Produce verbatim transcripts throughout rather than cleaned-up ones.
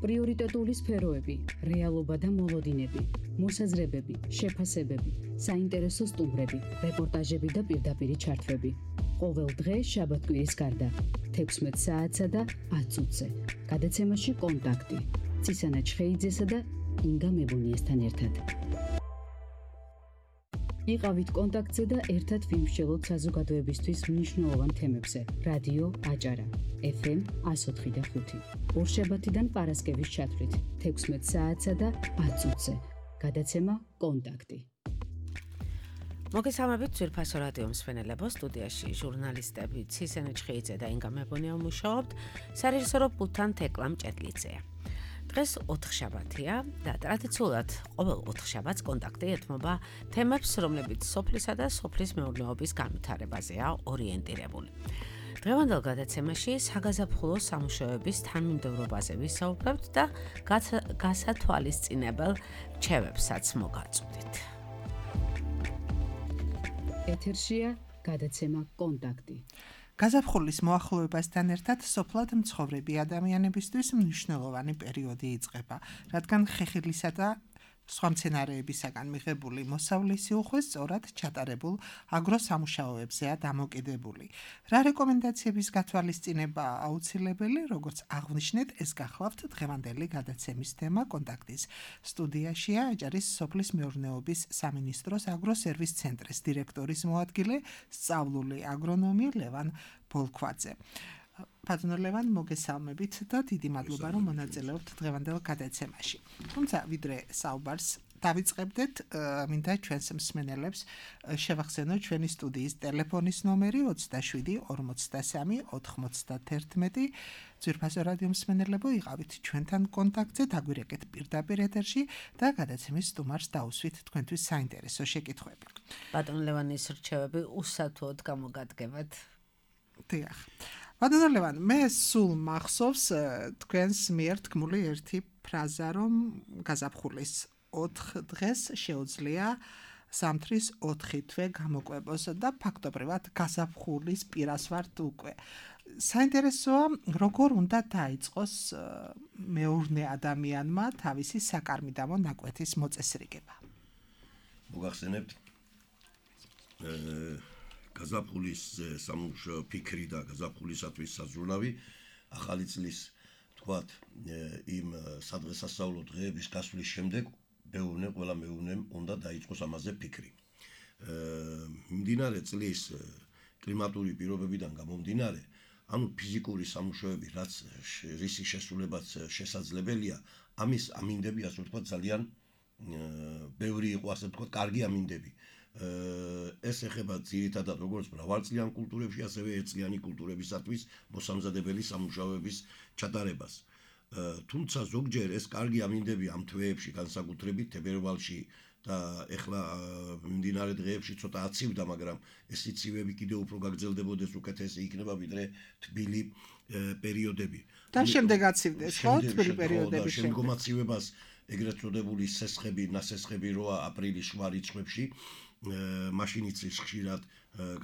პრიორიტეტული სფეროები, რეალობა და მოლოდინები, მოსაზრებები, შეფასებები, საინტერესო სტუმრები, რეპორტაჟები და პირდაპირი ჩართვები. ყოველ დღე შაბათ-კვირის გარდა, თექვსმეტ საათსა და ათ წუთზე. გადაცემაში კონტაქტი. ცისანა ჩხეიძესა და ინგა მებუნიესთან ერთად. იყავით კონტაქტზე და ერთად ვიმსჯელოთ საზოგადოებისთვის მნიშვნელოვან თემებზე. რადიო აჭარა, ეფ ემ εκατო ოთხი და ხუთი. ორშაბათიდან პარასკევის ჩათვლით, თექვსმეტ საათსა და ათ წუთზე. გადაცემა კონტაქტი. მოგესალმებით ძვირფასო რადიო მსმენელებო, სტუდიაში ჟურნალისტები ცისანა ჩხეიძე და ინგა მებუნია მუშაობთ, სარეჟისორო პულტთან თეკლა მჭედლიძეა. დღეს ოთხშაბათია და ტრადიციულად ყოველ ოთხშაბათს კონტაქტი ეთმობა თემებს, რომლებიც სოფლისა და სოფლის მეურნეობის განვითარებაზეა ორიენტირებული. დღევანდელ გადაცემაში საგაზაფხულო სამუშაოების თანმიმდევრობაზე ვისაუბრებთ და გასათვალისწინებელ რჩევებსაც მოგაწვდით. ეთერშია გადაცემა კონტაქტი. გაზაფხულის მოახლოებასთან ერთად სოფლად მცხოვრები ადამიანებისთვის მნიშვნელოვანი პერიოდი იწყება, რადგან ხეხილისა და სხვა მცენარეებისაგან მიღებული მოსავლისი უხვი სწორად ჩატარებულ აგროსამუშაოებზეა დამოკიდებული. რა რეკომენდაციების გათვალისწინება აუცილებელი, როგორც აღვნიშნეთ, ეს გახლავთ დღევანდელი გადაცემის თემა კონტაქტის. სტუდიაშია აჭარის სოფლის მეურნეობის სამინისტროს აგროსერვის ცენტრის დირექტორის მოადგილე, სწავლული აგრონომი ლევან ბოლქვაძე. ბატონო ლევან, მოგესალმებით და დიდი მადლობა, რომ მონაწილეობთ დღევანდელ გადაცემაში. თუმცა ვიდრე საუბარს დავიწყებდეთ, მინდა ჩვენს მსმენელებს შევახსენოთ ჩვენი სტუდიის ტელეფონის ნომერი ოცდაშვიდი ორმოცდასამი ოთხმოცდაათერთმეტი. ძვირფასო რადიო მსმენელებო, იყავით ჩვენთან კონტაქტზე, დაგვირეკეთ პირდაპირ ეთერში და გადაცემის სტუმარს დაუსვით თქვენთვის საინტერესო შეკითხვები. ბატონო ლევანის რჩევები უსათუოდ გამოგადგებათ. დიახ. ბატონო ლევან, მე სულ მახსოვს თქვენს მიერ თქმული ერთი ფრაზა, რომ გაზაფხულის ოთხ დღეს შეუძლია ზამთრის ოთხი თვე გამოკვებოს და ფაქტობრივად გაზაფხულის პირას ვართ უკვე. საინტერესოა, როგორ უნდა დაიწყოს მეურნე ადამიანმა თავისი საკარმიდამო ნაკვეთის მოწესრიგება. მოგახსენებთ გაზაფხულის სამუშაო ფიქრი და გაზაფხულისათვის საზრუნავი ახალი წლის თქვათ იმ სადღესასწაულო დღეების გასვლის შემდეგ მეურნე ყველა მეურნემ უნდა დაიწყოს ამაზე ფიქრი. მიმდინარე წლის კლიმატური პირობებიდან გამომდინარე, ანუ ფიზიკური სამუშაოები, რაც რისი შესრულებაც შესაძლებელია, ამის ამინდები, ასე ვთქვათ, ძალიან ბევრი იყო, ასე ვთქვათ, კარგი ამინდები. ეს ეხება ძირითადად როგორც მრავალწლიან კულტურებში, ასევე ერთწლიანი კულტურებისათვის მოსამზადებელი სამუშაოების ჩატარებას. თუმცა ზოგჯერ ეს კარგი ამინდები ამ თვეებში, განსაკუთრებით თებერვალში და ეხლა მიმდინარე დღეებში ცოტა აცივდა, მაგრამ ეს სიცივეები კიდევ უფრო გაგრძელდებოდეს, უკეთესი იქნება ვიდრე თბილი პერიოდები. და შემდეგ აცივდეს, ხო, თბილი პერიოდების შემდეგ. შემდგომ აცივებას ეგრეთ წოდებული სესხები, ნასესხები როა აპრილის შუა რიცხვებში, მაშინ იცის ხშირად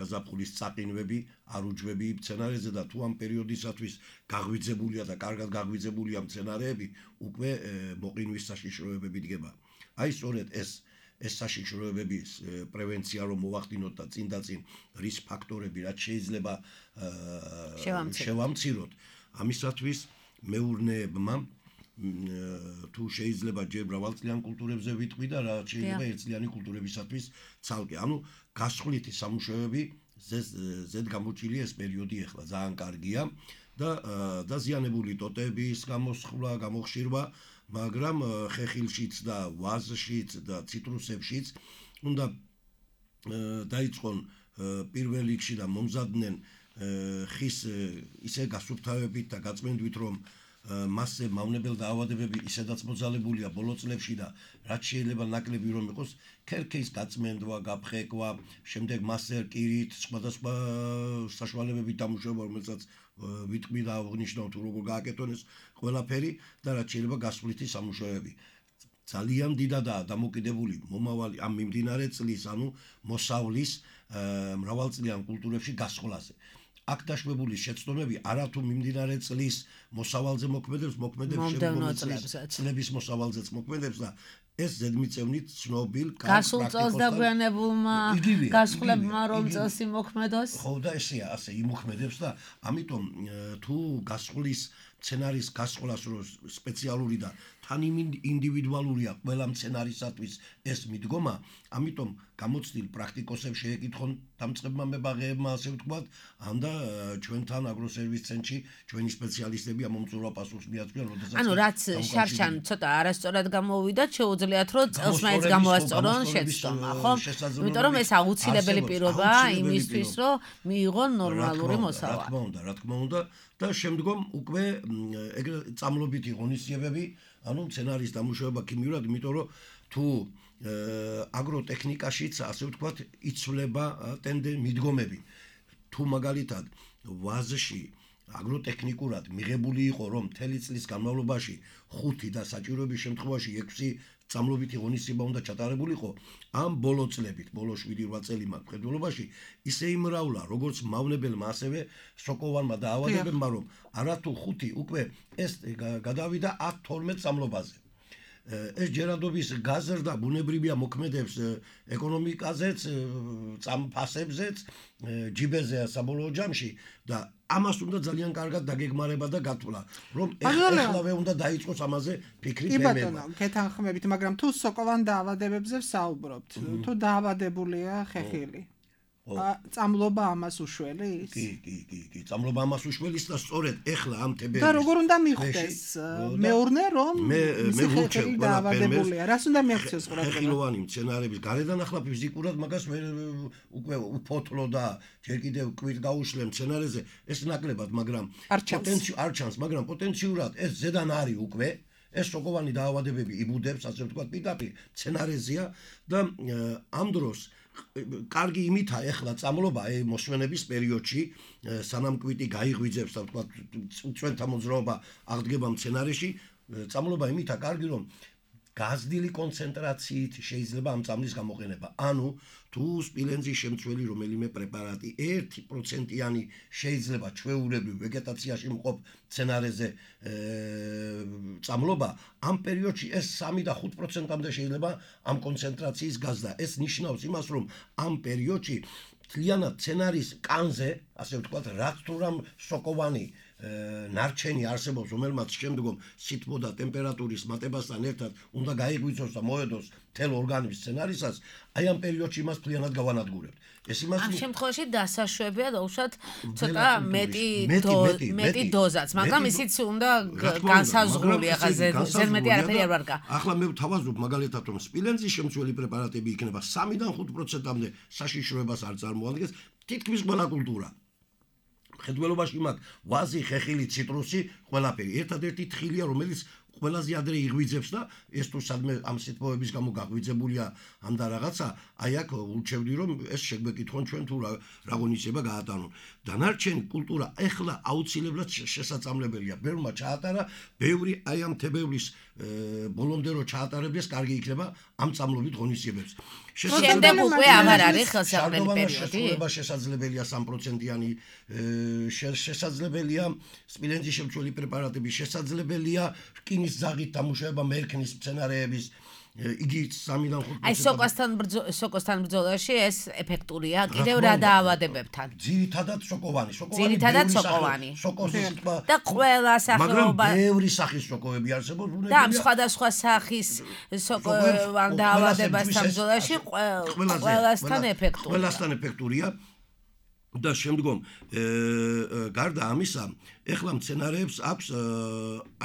გაზაფხულის წაყინვები, არუჯვები მცენარეზე და თუ ამ პერიოდისათვის გაღვიძებულია და კარგად გაღვიძებულია მცენარეები, უკვე მოყინვის საშიშროებები დგება. აი სწორედ ეს ეს საშიშროებების პრევენცია რომ მოვახდინოთ და წინ და წინ რის ფაქტორები რაც შეიძლება შევამციროთ. ამისათვის მეურნეებმა თუ შეიძლება ჯერ მრავალწლიან კულტურებზე ვიტყვი და რაც შეიძლება ერთწლიანი კულტურებისათვის ცალკე. ანუ გასხვლითი სამუშაოები ზედ გამოჩილი ეს პერიოდი ახლა ძალიან კარგია და დაზიანებული ტოტების გამოსხლა, გამოხშირვა, მაგრამ ხეხილშიც და ვაზშიც და ციტრუსებშიც უნდა დაიწყონ პირველ რიგში და მომზადდნენ ხის ისე გასუფთავებით და გაწმენდვით, რომ მასზე მავნებელ დაავადებები ისედაც მოძალებულია ბოლო წლებში და რაც შეიძლება ნაკლები რომ იყოს, ქერქის გაწმენდვა, გაფხეკვა, შემდეგ მასზე რკირით, სხვადასხვა საშუალებებით დამუშავება, რომელსაც ვიტყვი და აღნიშნავ თუ როგორ გააკეთონ ეს ყველაფერი და რაც შეიძლება გასვლითი სამუშაოები. ძალიან დიდადაა დამოკიდებული მომავალი ამ მიმდინარე წლის, ანუ მოსავლის მრავალწლიან კულტურებში გასხლაზე. აქ დაშვებული შეცდომები არათუ მიმდინარე წლის მოსავალზე მოქმედებს, მოქმედებს შემდგომი წლების მოსავალზეც მოქმედებს და ეს ზედმიწევნით ცნობილ გასულ წელს დაგვიანებულმა გასხლებმა რომ წელს იმოქმედოს. ხო და ესეა, ასე იმოქმედებს და ამიტომ თუ გასხლის სცენარის გასხლას რო სპეციალური და თან ინდივიდუალურია ყველა სცენარისათვის ეს მიდგომა, ამიტომ გამოცდილ პრაქტიკოსებს შეეკითხონ დამწყებმა მებაღეებმა, ასე ვთქვათ, ან და ჩვენთან აგროსერვის ცენტრში ჩვენი სპეციალისტები ამომწურვა პასუხს მიაწვდიან, როდესაც ანუ რაც შარშან ცოტა არასწორად გამოვიდათ, შეუძლიათ რომ წელს მაინც გამოასწორონ შეცდომა, ხო? იმიტომ რომ ეს აუცილებელი პირობაა იმისთვის, რომ მიიღონ ნორმალური მოსავალე. რა თქმა უნდა, რა თქმა უნდა და შემდგომ უკვე ეგრე წამლობითი ღონისძიებები, ანუ სცენარის დამუშავება ქიმიურად, იმიტომ რომ თუ აგროტექნიკაშიც, ასე ვთქვათ, იცვლება ტენდენ მიდგომები. თუ მაგალითად ვაზში აგროტექნიკურად მიღებული იყო, რომ მთელი წლის განმავლობაში ხუთი და საჭიროების შემთხვევაში ექვსი წამლობითი ღონისძიება უნდა ჩატარებულიყო, ამ ბოლო წლებით, ბოლო შვიდი რვა წელი მაგ მხედველობაში ისე იმრავლა, როგორც მავნებელმა, ასევე სოკოვანმა და ავადებებმა, რომ არათუ ხუთი უკვე ეს გადავიდა ათ თორმეტ წამლობაზე. ეს ჯერადობის გაზრდა ბუნებრივია მოქმედებს ეკონომიკაზეც, წამფასებზეც, ჯიბეზეა საბოლოო ჯამში და ამას უნდა ძალიან კარგად დაგეგმარება და გათვლა, რომ ეხლავე უნდა დაიწყოს ამაზე ფიქრი ბემება. კი ბატონო, გეთანხმებით, მაგრამ თუ სოკოვან დაავადებებზე ვსაუბრობთ, თუ დაავადებულია ხეხილი, წამლობა ამას უშველის? კი, კი, კი, კი, წამლობა ამას უშველის და სწორედ ეხლა ამ თებერვალს და როგორ უნდა მიხვდეს მეურნე რომ მე ვურჩევ დაავადებულია, რას უნდა მიაქციოს ყურადღება? ხეხილოვანი მცენარეების გარედან ახლა ფიზიკურად მაგას უკვე უფოთლო და ჯერ კიდევ კვირ გაუშლე მცენარეზე ეს ნაკლებად, მაგრამ პოტენციალ არ ჩანს, მაგრამ პოტენციურად ეს ზედან არის უკვე ეს სოკოვანი დაავადებები იბუდებს, ასე ვთქვათ, პირდაპირ მცენარეზეა და ამ დროს კარგი იმითა ეხლა წამლობა მოსვენების პერიოდში სანამ კვიტი გაიღვიძებს და ვთქვათ უწვენთა მოძრაობა აღდგება მცენარეში, წამლობა იმითა კარგი, რომ გაზრდილი კონცენტრაციით შეიძლება ამ წამლის გამოყენება. ანუ თუ სპილენძის შემცველი რომელიმე პრეპარატი ერთი პროცენტიანი შეიძლება ჩვეულებრივ ვეგეტაციაში მყოფ მცენარეზე წამლობა, ამ პერიოდში ეს სამი და ხუთ პროცენტამდე შეიძლება ამ კონცენტრაციის გაზრდა. ეს ნიშნავს იმას, რომ ამ პერიოდში მთლიანად მცენარის კანზე, ასე ვთქვათ, რაც თუ რამ სოკოვანი ნარჩენი არსებობს, რომელმაც შემდგომ სითბო და ტემპერატურის მატებასთან ერთად უნდა გაიღვიძოს და მოედოს მთელ ორგანიზმს სცენარისას, აი ამ პერიოდში მას მთლიანად გავანადგურებთ. ეს იმას ამ შემთხვევაში დასაშვებია დაუშვათ ცოტა მეტი მეტი დოზაც, მაგრამ ისიც უნდა განსაზღვრული, ახლა ზედმეტი არაფერი არ ვარგა. ახლა მე ვთავაზობ მაგალითად, რომ სპილენძის შემცველი პრეპარატები იქნება სამიდან ხუთ პროცენტამდე საშიშროებას არ წარმოადგენს თითქმის ყველა კულტურა. მხედველობაში მაგ ვაზი, ხეხილი, ციტრუსი, ყველაფერი. ერთადერთი თხილია, რომელიც ყველაზე ადრე იღვიძებს და ეს თუ სადმე ამ სიტყვების გამო გაღვიძებულია ამ და რაღაცა, აი აქ ურჩევდი რომ ეს შეგვეკითხონ ჩვენ თუ რა ღონისება გაატარონ. დანარჩენი კულტურა ეხლა აუცილებლად შესაძამლებელია. ბევრმა ჩაატარა, ბევრი აი ამ თებერვლის ბოლომდე რო ჩაატარებდეს, კარგი იქნება ამ წამლობით ღონისძიებებს. შემდეგ უკვე აღარ არის ხელსაყრელი პერიოდი. შესაძლებელია სამ პროცენტიანი შესაძლებელია სპილენძის შემცველი პრეპარატები, შესაძლებელია რკინის ძაღით დამუშავება მერქნის მცენარეების, იგი სამიდან ხუთ პროცენტი. აი სოკოსთან სოკოსთან ბრძოლაში ეს ეფექტურია კიდევ რა დაავადებებთან. ძირითადად სოკოვანი, სოკოვანი. ძირითადად სოკოვანი. სოკოსის ტბა. და ყველა სახეობა. მაგრამ ბევრი სახის სოკოები არსებობს, და ამ სხვადასხვა სახის სოკოვან დაავადებასთან ბრძოლაში ყველასთან ეფექტურია. ყველასთან ეფექტურია. და შემდგომ გარდა ამისა, ეხლა მცენარეებს აქვს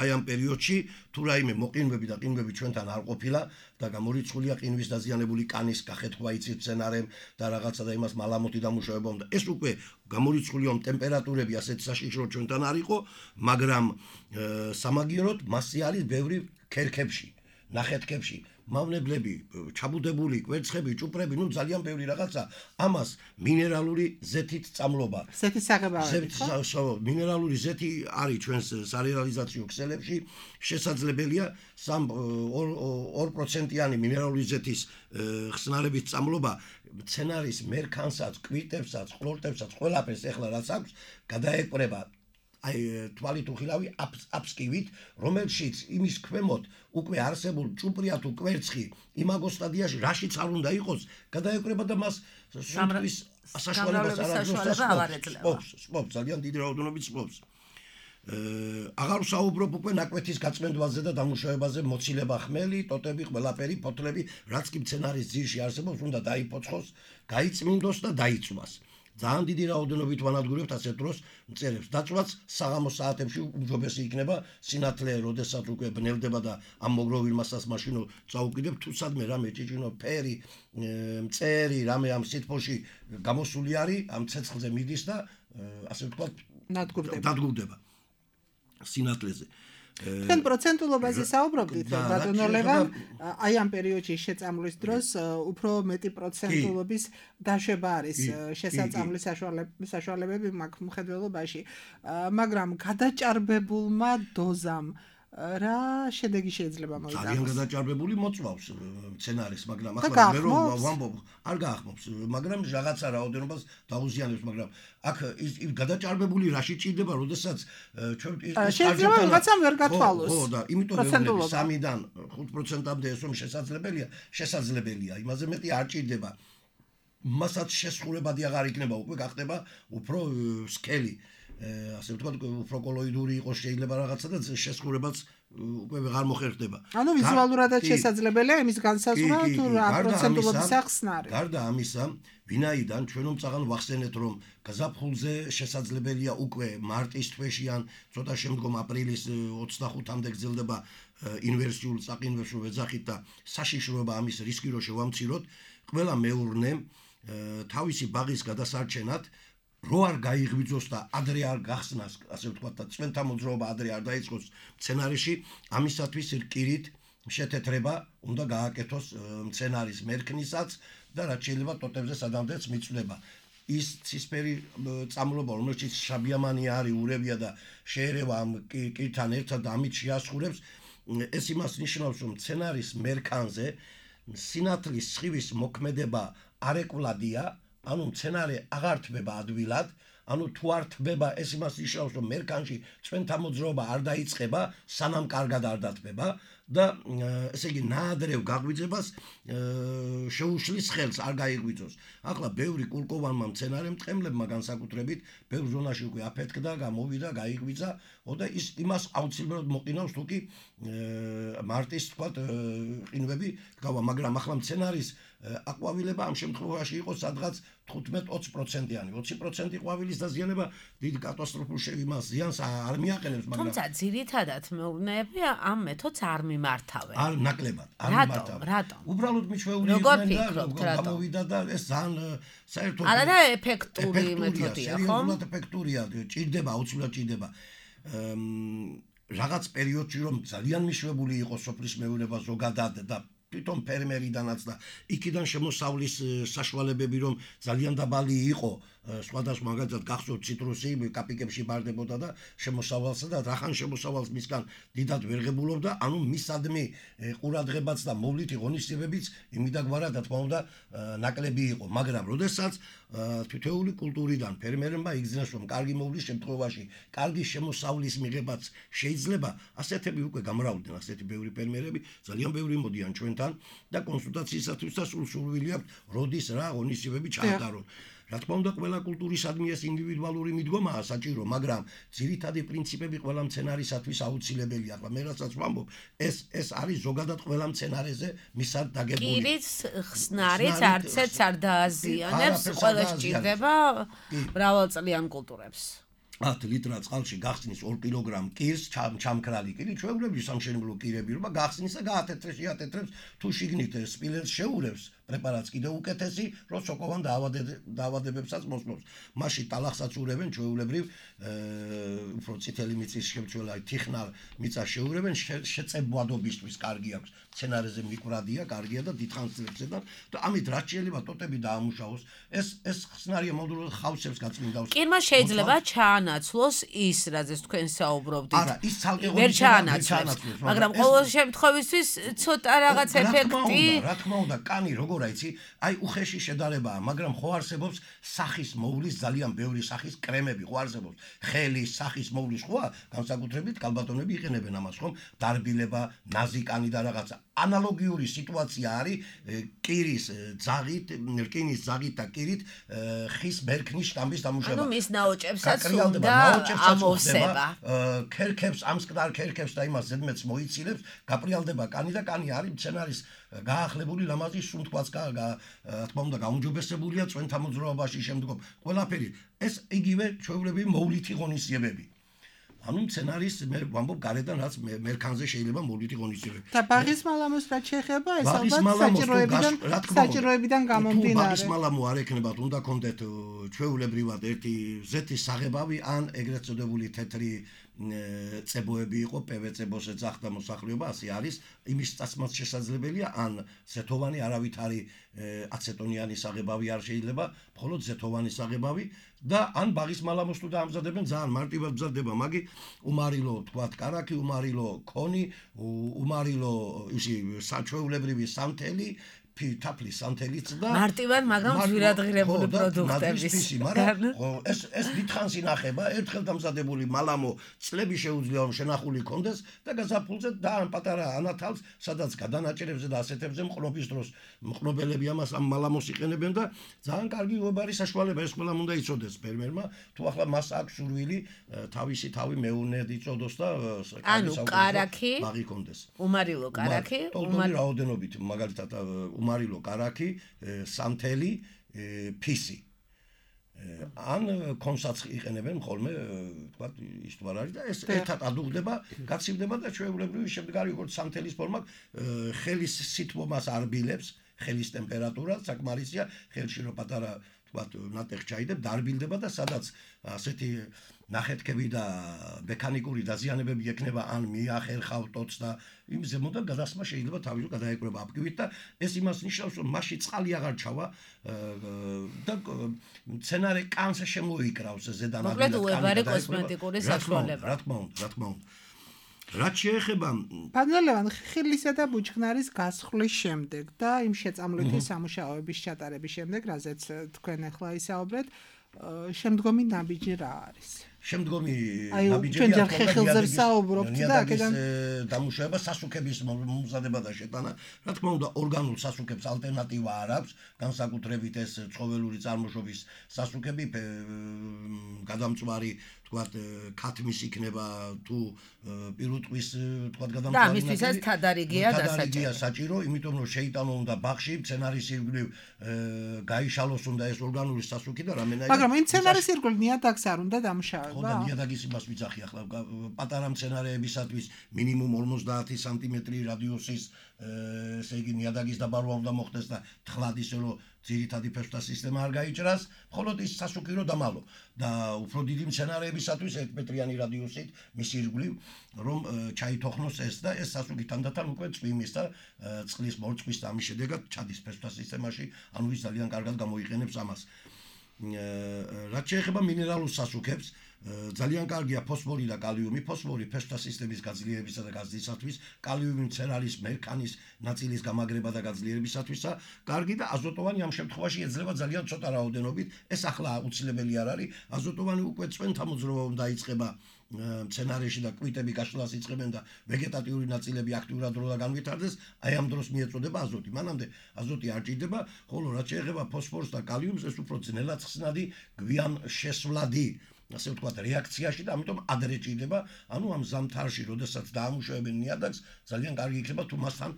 აი ამ პერიოდში თუ რაიმე მოყინვები და ყინვები ჩვენთან არ ყოფილა და გამორიცხულია ყინვის დაზიანებული კანის გახეთქვა იცით მცენარემ და რაღაცა და იმას მალამოთი დამუშავება უნდა. ეს უკვე გამორიცხული ამ ტემპერატურები ასეთ საშიშრო ჩვენთან არ იყო, მაგრამ სამაგიეროდ მასზე არის ბევრი ქერქებში, ნახეთქებში, მავნებლები, ჩაბუდებული კვერცხები, ჭუპრები, ну ძალიან ბევრი რაღაცა, ამას მინერალური ზეთით წამლობა. ზეთის საღებავებით, ხო? მინერალური ზეთი არის ჩვენს სარეალიზაციო ქსელებში, შესაძლებელია ორ პროცენტიანი მინერალური ზეთის ხსნარების წამლობა მცენარის მერქანსაც, კვირტებსაც, ყლორტებსაც, ყველაფერს ეხლა რაც აქვს, გადაეკვრება აი თვალით უხილავი აფსკივით, რომელშიც იმის ქვემოთ უკვე არსებულ ჭუპრია თუ კვერცხი იმაგო სტადიაში რაშიც არ უნდა იყოს, გადაეკვრება და მას სულ საშუალებას არ აქვს. სპობს, ძალიან დიდი რაოდენობით სპობს. აღარ ვსაუბრობ უკვე ნაკვეთის გაწმენდვაზე და დამუშავებაზე, მოცილება ხმელი, ტოტები, ყველაფერი, ფოთლები, რაც კი მცენარის ძირში არსებობს, უნდა დაიფოცხოს, გაიწმინდოს და დაიწვას. ძალიან დიდი რაოდენობით ვანადგურებთ ასეთ დროს მწერებს. დაწვაც საღამოს საათებში უმჯობესი იქნება, სინათლე, როდესაც უკვე ბნელდება და ამ მოგროვილ მასას მაშინ წაუკიდებ, თუ სადმე რამე ჭიჭინო, ფერი, მწერი, რამე ამ სითბოში გამოსული არის, ამ ცეცხლზე მიდის და ასე ვთქვათ, დადგურდება სინათლეზე. თქვენ პროცენტულობაზე საუბრობდით, ბატონო ლევან, აი ამ პერიოდში შეწამვლის დროს უფრო მეტი პროცენტულობის დაშვება არის შესაწამვლის საშუალებები მაგ მხედველობაში, მაგრამ გადაჭარბებულმა დოზამ რა შედეგი შეიძლება მოიტანოს? ძალიან გადაჭარბებული მოწვავს მცენარეს, მაგრამ ახლა მე რომ ვამბობ, არ გაახმობს, მაგრამ რაღაცა რაოდენობას დაუზიანებს, მაგრამ აქ ის გადაჭარბებული რაში ჭირდება, როდესაც ჩვენ შეიძლება რაღაცა ვერ გათვალოს. ხო, და იმიტომ ვეუბნები სამიდან ხუთ პროცენტამდე ეს რომ შესაძლებელია, შესაძლებელია, იმაზე მეტი არ ჭირდება. მასაც შესხურებადი აღარ იქნება, უკვე გახდება უფრო სკელი. ასე ვთქვათ, უფრო კოლოიდური იყოს შეიძლება რაღაცა და შესხურებაც უკვე ვეღარ მოხერხდება. ანუ ვიზუალურადაც შესაძლებელია იმის განსაზღვრა თუ რა პროცენტულობის ახსნარი. გარდა ამისა, ვინაიდან ჩვენ უმწაღან ვახსენეთ, რომ გაზაფხულზე შესაძლებელია უკვე მარტის თვეში ან ცოტა შემდგომ აპრილის ოცდახუთამდე გრძელდება ინვერსიულ წაყინვებს რომ ეძახით და საშიშროება ამის რისკი რო შევამციროთ, ყველა მეურნე თავისი ბაღის გადასარჩენად რო არ გაიღვიძოს და ადრე არ გახსნას, ასე ვთქვათ, და წვენთა მოძრაობა ადრე არ დაიწყოს მცენარეში, ამისათვის რკირით შეთეთრება უნდა გააკეთოს მცენარის მერქნისაც და რაც შეიძლება ტოტებზე სადამდეც მიწვდება. ის ცისფერი წამლობა, რომელშიც შაბიამანი არის, ურევია და შეერევა ამ კირთან ერთად და ამით შეასხურებს, ეს იმას ნიშნავს, რომ მცენარის მერქანზე სინათლის სხივის მოქმედება არეკვლადია, ანუ მცენარე აღარ თბება ადვილად, ანუ თუ არ თბება, ეს იმას ნიშნავს, რომ მერქანში წვენთა მოძრაობა არ დაიწყება, სანამ კარგად არ დათბება და ესე იგი ნაადრევ გაღვიძებას შეუშლის ხელს, არ გაიღვიძოს. ახლა ბევრი კულკოვანმა მცენარემ ტყემლებმა განსაკუთრებით ბევრ ზონაში უკვე აფეთქდა, გამოვიდა, გაიღვიძა, და ის იმას აუცილებლად მოყინავს, თუ კი მარტის თქვათ ყინვები გავა, მაგრამ ახლა მცენარის აყვავილება ამ შემთხვევაში იყო სადღაც თხუთმეტ ოცი პროცენტიანი. ოცი პროცენტი ყვავილის დაზიანება დიდ კატასტროფულ შევიმას ზიანს არ მიაყენებს, მაგრამ თუმცა ძირითადად მეურნეები ამ მეთოდს არ მიმართავენ. არ ნაკლებად, არ მიმართავენ. რატომ? უბრალოდ მიჩვეული იყვნენ და გამოვიდა და ეს ძალიან საერთოდ არა და ეფექტური მეთოდია, ხო? სერიოზულად ეფექტურია, ჭირდება, აუცილებლად ჭირდება. რაღაც პერიოდში რომ ძალიან მიშვებული იყო სოფლის მეურნეობა ზოგადად და თვითონ ფერმერიდანაც და იქიდან შემოსავლის საშუალებები რომ ძალიან დაბალი იყო, სხვადასხვა მაგალითად გახსოვთ ციტრუსი კაპიკებში ბარდებოდა და შემოსავალსა და რახან შემოსავალს მისგან დიდად ვერ ღებულობდა, ანუ მისადმი ყურადღებაც და მოვლითი ღონისძიებებიც იმიდაგვარად რა თქმა უნდა ნაკლები იყო, მაგრამ როდესაც თითოეული კულტურიდან ფერმერებმა იგრძნეს რომ კარგი მოვლის შემთხვევაში კარგი შემოსავლის მიღებაც შეიძლება, ასეთები უკვე გამრავლდნენ, ასეთი ბევრი ფერმერები, ძალიან ბევრი მოდიან ჩვენთან და კონსულტაციისათვის და სულ სურვილი აქვს როდის რა ღონისძიებები ჩაატარონ. რა თქმა უნდა, ყველა კულტურისადმი ეს ინდივიდუალური მიდგომაა საჭირო, მაგრამ ძირითადი პრინციპები ყველა მცენარისათვის აუცილებელია. ახლა მე რასაც ვამბობ, ეს ეს არის ზოგადად ყველა მცენარეზე მისად დაგებული. კირის ხსნარიც არცერც არ დააზიანებს, ყველა სჭირდება მრავალწლიან კულტურებს. ათ ლიტრა წყალში გახსნის ორ კილოგრამ კირს, ჩამქრალი კირი, ჩვეულებრივი სამშენებლო კირები, რომ გახსნის და გაათეთრებს, შეათეთრებს, თუ შიგნით სპილენძს შეურევს, პრეპარატს კიდევ უკეთესი, რომ სოკოვან დაავადებებსაც მოსწონს. მაშინ ტალახსაც ურევენ ჩვეულებრივ, უფრო წითელი მიწის შემცველი თიხნარ მიწას შეურევენ, შეწებვადობისთვის კარგი აქვს. სცენარეზე მიკვრადია, კარგია და დიდხანს ძლებს და ამით რაც შეიძლება ტოტები დაამუშავოს. ეს ეს ხსნარია მოდულურად ხავსებს გაწმინდავს. კირმა შეიძლება ჩაანაცვლოს ის, რაზეც თქვენ საუბრობდით. არა, ის ცალკე ვერ ჩაანაცვლოს, მაგრამ ყოველ შემთხვევისთვის ცოტა რაღაც ეფექტი. რა თქმა უნდა, კანი როგორ აიცი, აი უხეში შედარებაა, მაგრამ ხო არსებობს სახის მოვლის ძალიან ბევრი სახის კრემები, ხო არსებობს. ხელის, სახის მოვლის ხოა, განსაკუთრებით კალბატონები იყენებენ ამას, ხომ? დარბილება, ნაზი კანი და რაღაცა. ანალოგიური სიტუაცია არის კირის ძაღით, რკინის ძაღით და კირით ხის ბერქნის შტამბის დამუშავება. ანუ მის ნაოჭებსაც უნდა ამოვსება. ქერქებს, ამ მსკნარ ქერქებს და იმას ზედმეტს მოიცილებს, გაპრიალდება კანი და კანი არის მცენარის გაახლებული ლამაზი სუნთქვაც რა თქმა უნდა გაუმჯობესებულია წვენთა მოძრაობაში შემდგომ. ყველაფერი ეს იგივე ჩვეულებრივი მოვლითი ღონისძიებები. ანუ მცენარის მე ვამბობ გარედან რაც მერქანზე შეიძლება მოვლითი ღონისძიებები. და ბაღის მალამოს რაც შეეხება, ეს ალბათ საჭიროებიდან საჭიროებიდან გამომდინარე. ბაღის მალამო არ ექნებათ, უნდა კონდეთ ჩვეულებრივად ერთი ზეთის საღებავი ან ეგრეთ წოდებული თეთრი წებოები იყო, პვც-ებს ეძახდა მოსახლეობა, ასე არის, იმის წასმაც შესაძლებელია, ან ზეთოვანი არავითარი აცეტონიანი საღებავი არ შეიძლება, მხოლოდ ზეთოვანი საღებავი და ან ბაღის მალამოს თუ დაამზადებენ, ძალიან მარტივად მზადდება, მაგი უმარილო, თქვათ, კარაქი, უმარილო ქონი, უმარილო ისი საჩვეულებრივი სამთელი თაფლის სამთელიც და მარტივად, მაგრამ ძვირადღირებული პროდუქტების. ეს ეს დიდხანს ინახება, ერთხელ დამზადებული მალამო წლები შეუძლია რომ შენახული კონდეს და გაზაფხულზე და ან პატარა ანათალს, სადაც გადანაჭერებზე და ასეთებზე მყნობის დროს მყნობელები ამას ამ მალამოს იყენებენ და ძალიან კარგი უებარი საშუალება ეს ყველამ უნდა იცოდეს ფერმერმა, თუ ახლა მას აქვს სურვილი თავისი თავი მეუნედ იწოდოს და ანუ კარაქი, ბაღი კონდეს. უმარილო კარაქი, უმარილო რაოდენობით, მაგალითად უმარილო კარაქი, სამთელი, ფისი. ან კონსაც იყენებენ ხოლმე, თქვათ, ის თუ არ არის და ეს ერთად ადუღდება, გაცივდება და ჩვეულებრივი შემდგარი როგორც სამთელის ფორმა ხელის სითბომას არბილებს, ხელის ტემპერატურა საკმარისია, ხელში რო პატარა თქვათ ნატეხი ჩაიდებ, დარბილდება და სადაც ასეთი ნახეთქები და მექანიკური დაზიანებები ექნება ან მიახერხავ ტოტს და იმ ზემოდან გადასმა შეიძლება თავისო გადაეკრება აფქივით და ეს იმას ნიშნავს რომ მასში წყალი აღარ ჩავა და მცენარე კანს შემოიკრავს ზედან აგრეთვე მოკლედ უებარი კოსმეტიკური საშუალება. რა თქმა უნდა, რა თქმა უნდა. რაც შეეხება პანელევან ხილისა და ბუჩქნარის გასხლის შემდეგ და იმ შეწამლვითი სამუშაოების ჩატარების შემდეგ, რაზეც თქვენ ახლა ისაუბრეთ, შემდგომი ნაბიჯი რა არის? შემდგომი ნაბიჯები ჩვენ ჯერ ხეხილზე ვსაუბრობთ და აქედან დამუშავება სასუქების მომზადება და შეტანა. რა თქმა უნდა, ორგანულ სასუქებს ალტერნატივა არ აქვს, განსაკუთრებით ეს ცხოველური წარმოშობის სასუქები, გადამწვარი, თქვათ, ქათმის იქნება თუ პირუტყვის, თქვათ, გადამწვარი. და ამისთვისაც თადარიგია დასაჭირო. საჭირო, იმიტომ რომ შეიტანო უნდა ბაღში, მცენარის ირგვლივ გაიშალოს უნდა ეს ორგანული სასუქი და რამენაირად. მაგრამ იმ მცენარის ირგვლივ ნიადაგს არ უნდა დამუშავება. ხო და ნიადაგის იმას ვიცახი ახლა პატარა მცენარეებისათვის მინიმუმ ორმოცდაათი სანტიმეტრი რადიუსის ესე იგი ნიადაგის დაბარვა უნდა მოხდეს და თხლად ისე რომ ძირითადი ფესვთა სისტემა არ გაიჭრას, მხოლოდ ის სასუქი რომ დამალო და უფრო დიდი მცენარეებისათვის ერთ მეტრიანი რადიუსით მის ირგვლივ რომ ჩაითოხნოს ეს და ეს სასუქი თანდათან უკვე წვიმის და წყლის მორწყვის და ამის შედეგად ჩადის ფესვთა სისტემაში, ანუ ის ძალიან კარგად გამოიყენებს ამას. რაც შეეხება მინერალურ სასუქებს, ძალიან კარგია ფოსფორი და კალიუმი. ფოსფორი ფესვთა სისტემის გაძლიერებისა და გაზრდისათვის, კალიუმი მცენარის მერქანის ნაწილის გამაგრება და გაძლიერებისათვისა, კარგი და აზოტოვანი ამ შემთხვევაში ეძლევა ძალიან ცოტა რაოდენობით. ეს ახლა აუცილებელი არ არის. აზოტოვანი უკვე წვენთა მოძრაობა დაიწყება მცენარეში და კვიტები გაშლას იწყებენ და ვეგეტატიური ნაწილები აქტიურად რო განვითარდეს, აი ამ დროს მიეწოდება აზოტი. მანამდე აზოტი არ ჭირდება, ხოლო რაც შეეხება ფოსფორს და კალიუმს, ეს უფრო ძნელად ხსნადი, გვიან შესვლადი, ასე ვთქვათ, რეაქციაში და ამიტომ ადრე ჭირდება, ანუ ამ ზამთარში, როდესაც დაამუშავებენ ნიადაგს, ძალიან კარგი იქნება თუ მასთან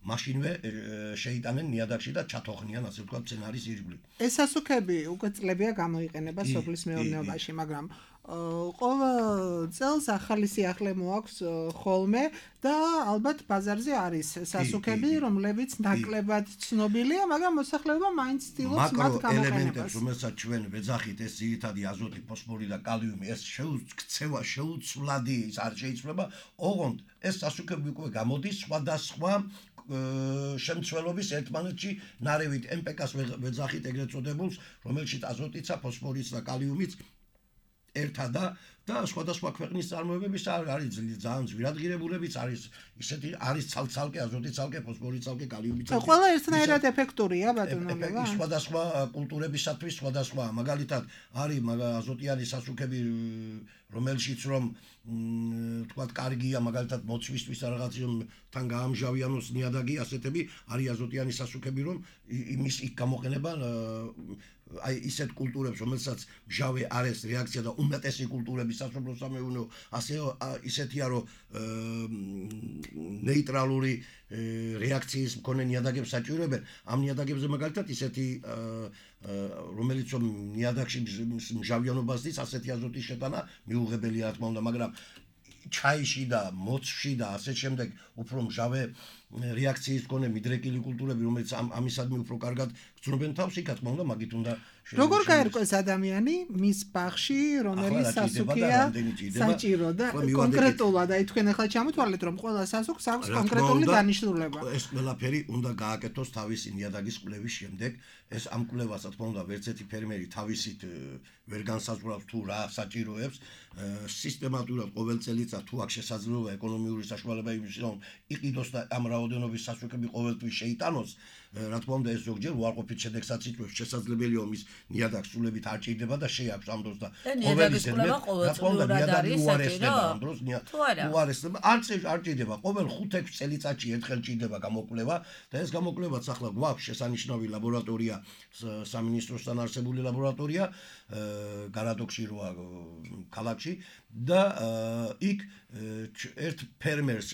მაშინვე შეიტანენ ნიადაგში და ჩათოხნიან, ასე ვთქვათ, მცენარის ირგვლივ. ეს სასუქები უკვე წლებია გამოიყენება სოფლის მეურნეობაში, მაგრამ ყოველ წელს ახალი სიახლე მოაქვს ხოლმე და ალბათ ბაზარზე არის სასუქები, რომლებიც ნაკლებად ცნობილია, მაგრამ მოსახლეობა მაინც ცდილობს მათ გამოყენებას. მაკრო ელემენტებს, რომელსაც ჩვენ ვეძახით, ეს ძირითადი აზოტი, ფოსფორი და კალიუმი, ეს შეუცვლადი, შეუცვლადი არ შეიძლება, ოღონდ ეს სასუქები უკვე გამოდის სხვადასხვა შემცველობის ერთმანეთში ნარევით ემ პე კას ვეძახით ეგრეთ წოდებულს, რომელშიც აზოტიცა, ფოსფორიც და კალიუმიც ერთადა და სხვადასხვა ქვეყნის წარმოებების არის ძალიან ძვირადღირებულებიც არის ისეთი არის ცალ-ცალკე აზოტი ცალკე ფოსფორი ცალკე კალიუმი ცალკე ყველა ერთნაირად ეფექტურია ბატონობა სხვადასხვა კულტურებისათვის სხვადასხვა მაგალითად არის აზოტიანი სასუქები რომელშიც რომ თქვათ კარგია მაგალითად მოცვისთვის რაღაცთან გაამჟავიანოს ნიადაგი ასეთები არის აზოტიანი სასუქები რომ იმის იქ გამოყენება აი ისეთ კულტურებს რომელსაც მჟავე არის რეაქცია და უმეტესი კულტურების სასოფლო სამეურნეო ასე ისეთია რომ ნეიტრალური რეაქციის მქონე ნიადაგებს საჭიროებენ ამ ნიადაგებზე მაგალითად ისეთი რომელიც რომ ნიადაგში მჟავიანობას დის ასეთი აზოტის შეტანა მიუღებელია რა თქმა უნდა მაგრამ ჩაიში და მოცვში და ასე შემდეგ უფრო მჟავე რეაქციის მქონე მიდრეკილი კულტურები რომელიც ამისადმი უფრო კარგად გრძნობენ თავს იქ რა თქმა უნდა მაგით უნდა როგორ გაერკვეს ადამიანი მის ბაღში რომელიც სასუქია საჭირო და კონკრეტულად აი თქვენ ახლა ჩამოთვალეთ რომ ყველა სასუქს აქვს კონკრეტული დანიშნულება ეს ყველაფერი უნდა გააკეთოს თავისი ნიადაგის კვლევის შემდეგ ეს ამ კვლევას რა თქმა უნდა ვერც ერთი ფერმერი თავისით ვერ განსაზღვრავს თუ რა საჭიროებს სისტემატურად ყოველ წელიწად თუ აქვს შესაძლებლობა ეკონომიური საშუალება იმის რომ იყიდოს და ამ რაოდენობის სასუქები ყოველთვის შეიტანოს რა თქმა უნდა ეს ზოგჯერ უარყოფით შედეგსაც იწვევს შესაძლებელია რომ ის ნიადაგს სულებით არ ჭირდება და შეაქვს ამ დროს და ნიადაგის კვლევა ყოველწლიურად არის საჭირო ამ დროს უარესდება არც არ ჭირდება ყოველ ხუთ-ექვს წელიწადში ერთხელ ჭირდება გამოკვლევა და ეს გამოკვლევაც ახლა გვაქვს შესანიშნავი ლაბორატორია სამინისტროსთან არსებული ლაბორატორია გარადოქში როა ქალაქში და იქ ერთ ფერმერს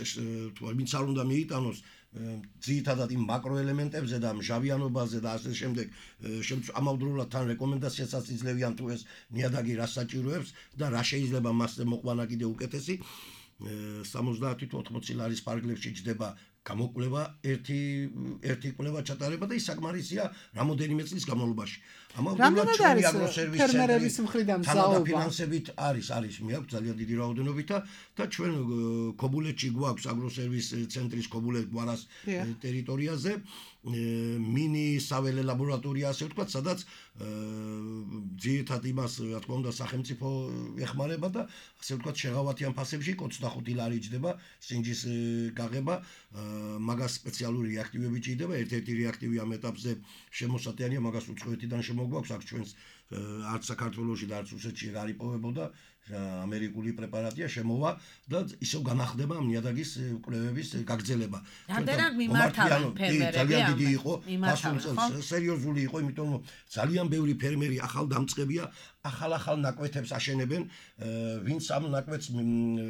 თუ ვინც არ უნდა მიიტანოს ძირითადად იმ მაკროელემენტებზე და მჟავიანობაზე და ასე შემდეგ ამავდროულად თან რეკომენდაციასაც იძლევიან თუ ეს ნიადაგი რას საჭიროებს და რა შეიძლება მასზე მოყვანა კიდე უკეთესი სამოცდაათი თუ ოთხმოცი ლარის ფარგლებში ჯდება გამოკვლევა ერთი ერთი კვლევა ჩატარება და ის საკმარისია რამოდენიმე წლის განმავლობაში. ამავდროულად ჩვენი აგროსერვისის ფერმერების მხრიდან მზაობა ფინანსებით არის არის მეაქვს ძალიან დიდი რაოდენობით და ჩვენ ქობულეთში გვაქვს აგროსერვის ცენტრის ქობულეთ გვარას ტერიტორიაზე მინი საველე ლაბორატორია ასე ვთქვათ სადაც ძირითადად იმას რა თქმა უნდა სახელმწიფო ეხმარება და ასე ვთქვათ შეღავათიან ფასებში ოცდახუთი ლარი ჯდება სინჯის გაღება მაგას სპეციალური რეაქტივები ჭირდება ერთ-ერთი რეაქტივი ამ ეტაპზე შემოსატანია მაგას უცხოეთიდან შემოგვაქვს აქ ჩვენს არც საქართველოში და არც რუსეთში არ იპოვებოდა ამერიკული პრეპარატია შემოვა და ისევ განახდება ამ ნიადაგის კვლევების გაგრძელება. რამდენად მიმართავენ ფერმერები ძალიან დიდი იყო ასულ წელს სერიოზული იყო იმიტომ რომ ძალიან ბევრი ფერმერი ახალ დამწყებია ახალ-ახალ ნაკვეთებს აშენებენ ვინც ამ ნაკვეთს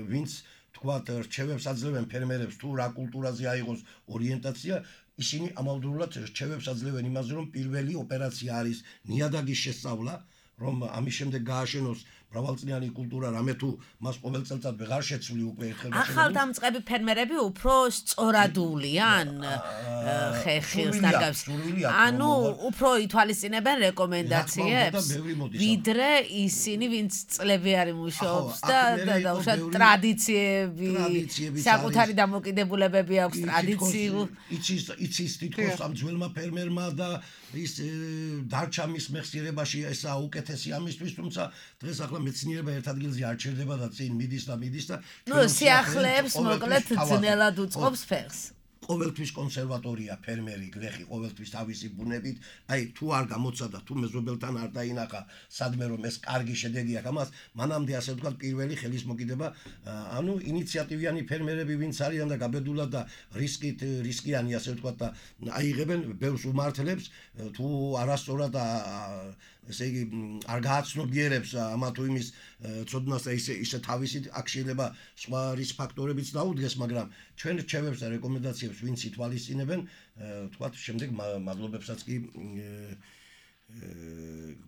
ვინც თქვათ რჩევებს აძლევენ ფერმერებს თუ რა კულტურაზე აიღოს ორიენტაცია ისინი ამავდროულად რჩევებს აძლევენ იმაზე რომ პირველი ოპერაცია არის ნიადაგის შესწავლა რომ ამის შემდეგ გააშენოს მრავალწლიანი კულტურა რამე თუ მას ყოველ წელიწად ვეღარ შეცვლი უკვე ერთხელ ახალ დამწყები ფერმერები უფრო სწორადულიან ხეხილს დაგავს ანუ უფრო ითვალისწინებენ რეკომენდაციებს ვიდრე ისინი ვინც წლები არის მუშაობს და და უშუალოდ ტრადიციები საკუთარი დამოკიდებულებები აქვს ტრადიციულ იცის იცის თითქოს ამ ძველმა ფერმერმა და ის დარჩა მის მეხსიერებაში ესა უკეთესი ამისთვის თუმცა დღეს ახლა მეცნიერება ერთ ადგილზე არ ჩერდება და წინ მიდის და მიდის და ნუ სიახლეებს მოკლედ ძნელად უწყობს ფეხს ყოველთვის კონსერვატორია ფერმერი გლეხი ყოველთვის თავისი ბუნებით აი თუ არ გამოცა და თუ მეზობელთან არ დაინახა სადმე რომ ეს კარგი შედეგი აქვს ამას მანამდე ასე ვთქვათ პირველი ხელის მოკიდება ანუ ინიციატივიანი ფერმერები ვინც არიან და გაბედულად და რისკით რისკიანი ასე ვთქვათ და აიღებენ ბევრს უმართლებს თუ არასწორად ესე იგი არ გააცნობიერებს ამა თუ იმის ცოდნას და ისე ისე თავისი აქ შეიძლება სხვა რისკ ფაქტორებიც დაუდგეს მაგრამ ჩვენ რჩევებს და რეკომენდაციებს ვინც ითვალისწინებენ თქვათ შემდეგ მადლობებსაც კი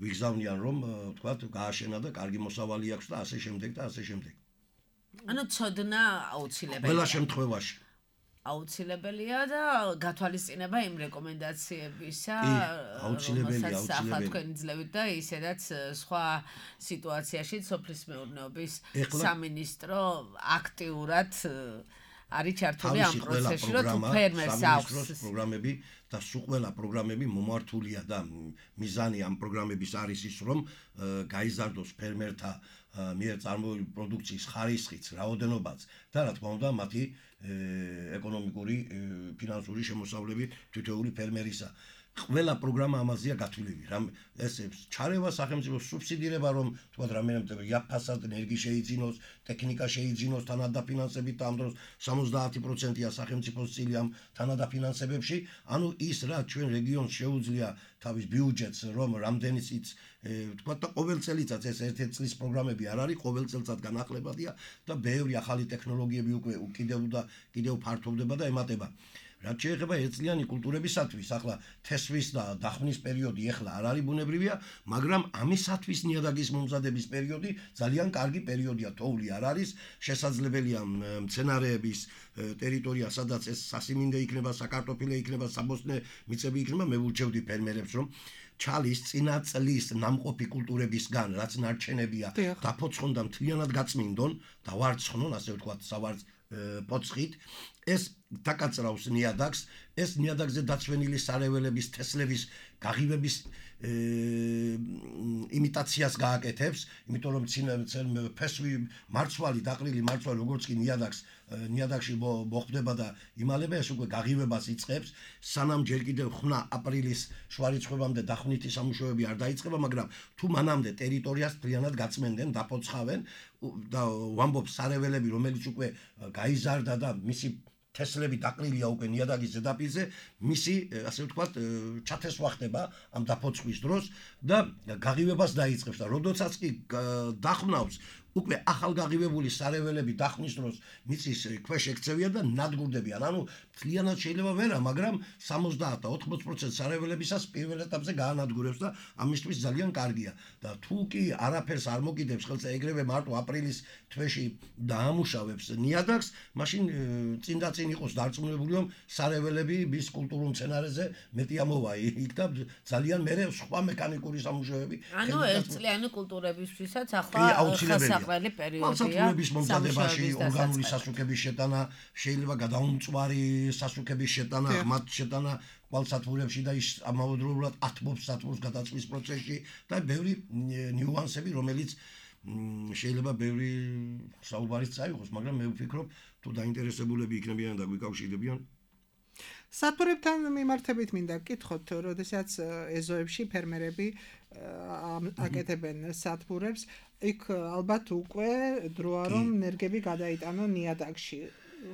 ვიგზავნიან რომ თქვათ გააშენა და კარგი მოსავალი აქვს და ასე შემდეგ და ასე შემდეგ. ანუ ცოდნა აუცილებელია. ყველა შემთხვევაში აუცილებელია და გათვალისწინება იმ რეკომენდაციებისა, აუცილებელია, აუცილებელია. თქვენი ძლებით და ისედაც სხვა სიტუაციაში სოფლის მეურნეობის სამინისტრო აქტიურად არის ჩართული ამ პროცესში, რომ თუ ფერმერს აქვს პროგრამები და სულ ყველა პროგრამები მომართულია და მიზანი ამ პროგრამების არის ის, რომ გაიზარდოს ფერმერთა მიერ წარმოებული პროდუქციის ხარისხიც, რაოდენობაც და რა თქმა უნდა მათი ეკონომიკური, ფინანსური შემოსავლები თითოეული ფერმერისა. ყველა პროგრამა ამაზეა გათვლილი. რამ ეს ჩარევა სახელმწიფო სუბსიდირება რომ თქვა რამე იაფასად ენერგი შეიძინოს, ტექნიკა შეიძინოს თანადაფინანსებით და ამ დროს სამოცდაათი პროცენტია სახელმწიფოს წილი ამ თანადაფინანსებებში. ანუ ის რა ჩვენ რეგიონს შეუძლია თავის ბიუჯეტს რომ რამდენიც თქვა და ყოველ წელიწად ეს ერთ-ერთი წლის პროგრამები არ არის, ყოველ წელიწად განახლებადია და ბევრი ახალი ტექნოლოგიები უკვე კიდევ და კიდევ ფართოვდება და ემატება. რაც შეეხება ერთწლიანი კულტურებისათვის, ახლა თესვის და დახმნის პერიოდი ახლა არ არის ბუნებრივია, მაგრამ ამისათვის ნიადაგის მომზადების პერიოდი ძალიან კარგი პერიოდია, თოვლი არ არის, შესაძლებელია მცენარეების ტერიტორია, სადაც ეს სასიმინდე იქნება, საკარტოფილე იქნება, საბოსტნე მიწები იქნება, მე ვურჩევდი ფერმერებს, რომ ჩალის წინა წლის ნამყოფი კულტურებისგან, რაც ნარჩენებია, დაფოცხონ და მთლიანად გაწმინდონ და ვარცხნონ, ასე ვთქვათ, სავარც პოცხით, ეს დაკაწრავს ნიადაგს, ეს ნიადაგზე დაცვენილი სარეველების, თესლების გაღივების იმიტაციას გააკეთებს, იმიტომ რომ ფესვი მარცვალი, დაყრილი მარცვალი, როგორც კი ნიადაგს ნიადაგში მოხვდება და იმალება, ეს უკვე გაღივებას იწყებს, სანამ ჯერ კიდევ ხნა აპრილის შუარიცხვებამდე დახვნითი სამუშაოები არ დაიწყება, მაგრამ თუ მანამდე ტერიტორიას მთლიანად გაწმენდნენ, დაფოცხავენ და ვამბობ სარეველები, რომელიც უკვე გაიზარდა და მისი თესლები დაყრილია უკვე ნიადაგის ზედაპირზე, მისი, ასე ვთქვათ, ჩათესვა ხდება ამ დაფოცხვის დროს და გაღივებას დაიწყებს და როდესაც კი დახვნავს, უკვე ახალგაღივებული სარეველები დახმის დროს მიწის ქვეშ ექცევიან და ნადგურდებიან. ანუ მთლიანად შეიძლება ვერა, მაგრამ სამოცდაათ და ოთხმოცი პროცენტი სარეველებისას პირველ ეტაპზე გაანადგურებს და ამისთვის ძალიან კარგია. და თუ კი არაფერს არ მოკიდებს ხელს ეგრევე მარტო აპრილის თვეში დაამუშავებს ნიადაგს, მაშინ წინ და წინ იყოს დარწმუნებული, რომ სარეველები მის კულტურულ მცენარეზე მეტი ამოვა იქ და ძალიან მერე სხვა მექანიკური სამუშაოები. ანუ ერთწლიანი კულტურებისთვისაც ახლა საყველი პერიოდია. მოსახლეობის მომზადებაში ორგანული სასუქების შეტანა, შეიძლება გადაუმწვარი სასუქების შეტანა, ღმათ შეტანა კვალსათბურებში და ის ამავდროულად ათმობს სათბურს გადაწვის პროცესში და ბევრი ნიუანსები, რომელიც შეიძლება ბევრი საუბარიც წაიღოს, მაგრამ მე ვფიქრობ, თუ დაინტერესებულები იქნებიან და გვიკავშირდებიან. სათბურებთან მიმართებით მინდა გკითხოთ, როდესაც ეზოებში ფერმერები აკეთებენ სათბურებს, იქ ალბათ უკვე დროა რომ ნერგები გადაიტანონ ნიადაგში.